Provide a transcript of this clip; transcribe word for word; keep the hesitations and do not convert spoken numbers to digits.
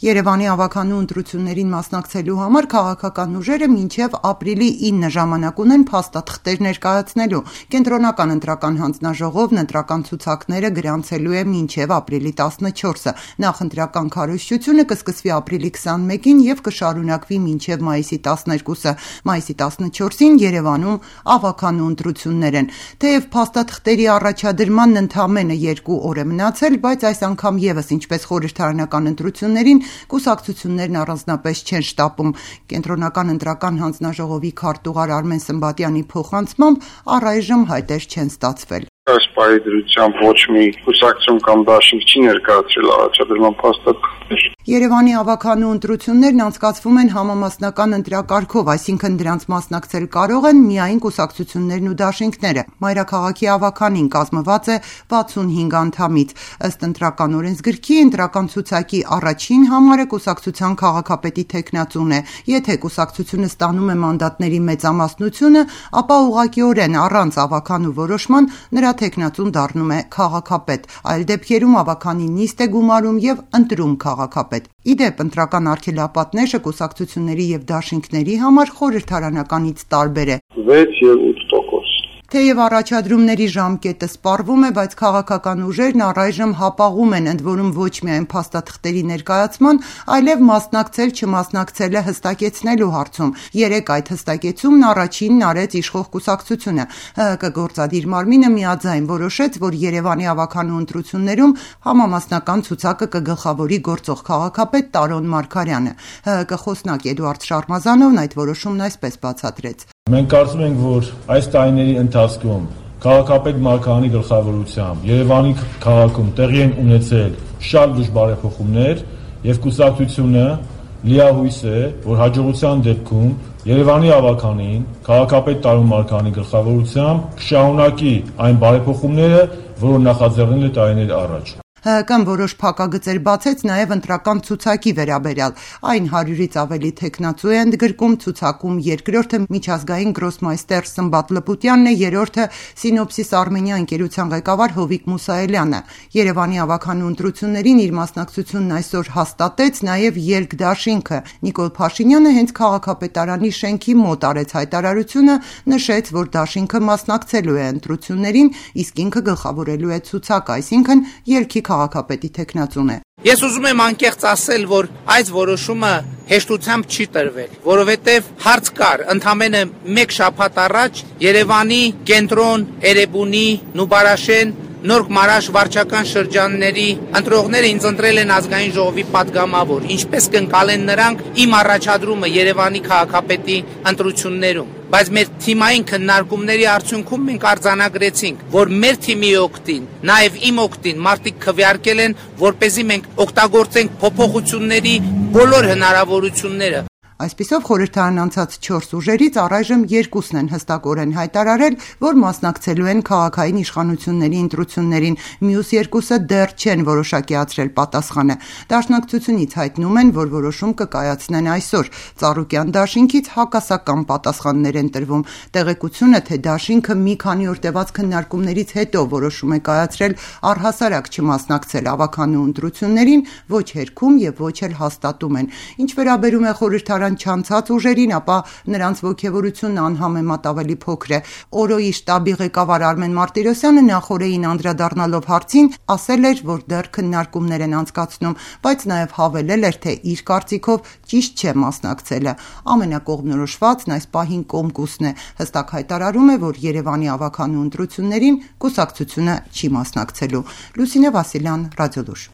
Երևանի ավականու ընտրություններին մասնակցելու համար քաղաքական ուժերը մինչև ապրիլի ինը ժամանակ ունեն փաստաթղթեր ներկայացնելու։ Կենտրոնական ընտրական հանձնաժողովն ընտրական ցուցակները գրանցելու է մինչև ապրիլի տասնչորսը։ Նախընտրական քարոզչությունը կսկսվի ապրիլի քսանմեկին եւ կշարունակվի մինչև մայիսի տասներկուսը։ Մայիսի տասնչորսին Երևանում ավականու ընտրություններ են։ Թեև փաստաթղթերի առաջադրմանն ընդամենը երկու օր է մնացել, բայց այս անգամ եւս ինչպես խորհրդարանական ընտրություններին կուսակցություններն առանձնապես չեն շտապում։ Կենտրոնական ընտրական հանձնաժողովի քարտուղար Արմեն Սմբատյանի փոխանցմամբ առայժմ հայտեր չեն ստացվել։ Այս պահի դրությամբ ոչ մի կուսակցություն կամ դաշինք չի ներկայացրել առաջադրման փաստաթղթեր։ Երևանի ավականու ընտրություններն անցկացվում են համամասնական ընտրակարգով, այսինքն դրանց մասնակցել կարող են միայն կուսակցություններն ու դաշինքները։ Մայրաքաղաքի ավականին կազմված է վաթսունհինգ անդամից։ Ըստ ընտրական օրենսգրքի ընտրական ցուցակի առաջին համարը կուսակցության քաղաքապետի թեկնածուն է։ Եթե կուսակցությունը ստանում է մանդատների մեծամասնությունը, ապա ուղղակիորեն առանց ավականու որոշման նրա թեկնածուն դառնում է քաղաքապետ։ Այլ դեպքերում ավականի նիստ է գումարում եւ ընտրում քաղաքապետ։ Ի դեպ, ընտրական արգելապատնեշը կուսակցությունների եւ դաշինքների համար խորհրդարանականից տարբեր է։ վեց եւ ութ տոկոս։ Թեև առաջադրումների ժամկետը սպառվում է, բայց քաղաքական ուժերն առայժմ հապաղում են, ընդ որում ոչ միայն փաստաթղթերի ներկայացման, այլև մասնակցել չմասնակցելը հստակեցնելու հարցում։ Երեկ այդ հստակեցումն առաջինն արեց իշխող կուսակցությունը։ ՀՀԿ գործադիր մարմինը միաձայն որոշեց, որ Երևանի ավականու ընտրություններում համամասնական ցուցակը կգլխավորի գործող քաղաքապետ Տարոն Մարգարյանը։ ՀՀԿ խոսնակ Էդուարդ Շարմազանովն այդ որոշումն այսպես բացատրեց։ Մենք կարծում ենք, որ այս տարիների ընթացքում քաղաքապետ Մարգարյանի գլխավորությամբ Երևանի քաղաքում տեղի են ունեցել շատ լուրջ բարեփոխումներ եւ կուսակցությունը լիահույս է, որ հաջողության դեպքում Երևանի ավականին քաղաքապետ Տարոն Մարգարյանի գլխավորությամբ կշարունակի այն բարեփոխումները, որոնք նախաձեռնել է տարիներ առաջ։ ՀՀԿ-ն որոշ փակագծեր բացեց նաև ընտրական ցուցակի վերաբերյալ։ Այն հարյուրից ավելի թեկնածու է ընդգրկում ցուցակում երկրորդը միջազգային գրոսմայստեր Սմբատ Լպուտյանն է, երրորդը Սինոպսիս Արմենիա ընկերության ղեկավար Հովիկ Մուսայելյանը։ Երևանի ավականու ընտրություններին իր մասնակցությունն այսօր հաստատեց նաև ելք դաշինքը։ Նիկոլ Փաշինյանը հենց քաղաքապետարանի շենքի մոտ արեց հայտարարությունը, նշեց, որ դաշինքը մասնակցելու է ընտրություններին, իսկ ինքը գլխավորելու է ցուցակը, այսինքն ելքի քաղաքապետի թեկնածուն է։ Ես ուզում եմ անկեղծ ասել, որ այս որոշումը հեշտությամբ չի տրվել, որովհետև հարց կար ընդամենը մեկ շաբաթ առաջ Երևանի կենտրոն, Էրեբունի, Նուբարաշեն, Նորք Մարաշ վարչական շրջանների ընտրողները ինձ ընտրել են ազգային ժողովի պատգամավոր, ինչպես կընկալեն նրանք իմ առաջադրումը Երևանի քաղաքապետի ընտրություններում։ Բայց մեր թիմային քննարկումների արդյունքում մենք արձանագրեցինք, որ մեր թիմի օգտին, նաև իմ օգտին մարդիկ քվեարկել են, որպեսզի մենք օգտագործենք փոփոխությունների բոլոր հնարավորությունները։ Այսպիսով խորհրդարան անցած չորս ուժերից առայժմ երկուսն են հստակորեն հայտարարել, որ մասնակցելու են քաղաքային իշխանությունների ընտրություններին, մյուս երկուսը դեռ չեն որոշակիացրել պատասխանը։ Դաշնակցությունից հայտնում են, որ որոշում կկայացնեն այսօր։ Ծառուկյան դաշինքից հակասական պատասխաններ են տրվում։ Տեղեկությունը, թե դաշինքը մի քանի օր տևած քննարկումներից հետո որոշում է կայացրել առհասարակ չմասնակցել ավականու ընտրություններին, ոչ հերքում եւ ոչ էլ հաստատում են։ Ինչ վերաբերում է խորհրդարան չանցած ուժերին, ապա նրանց ոգևորությունն անհամեմատ ավելի փոքր է։ Օրոյի շտաբի ղեկավար Արմեն Մարտիրոսյանը նախորդին անդրադառնալով հարցին ասել էր, որ դեռ քննարկումներ են անցկացնում, բայց նաև հավելել էր, թե իր կարծիքով ճիշտ չէ մասնակցելը։ Ամենակողմնորոշվածն այս պահին Կոմկուսն է։ Հստակ հայտարարում է, որ Երևանի ավականու ընտրություններին կուսակցությունը չի մասնակցելու։ Լուսինե Վասիլյան, Ռադիոլուր։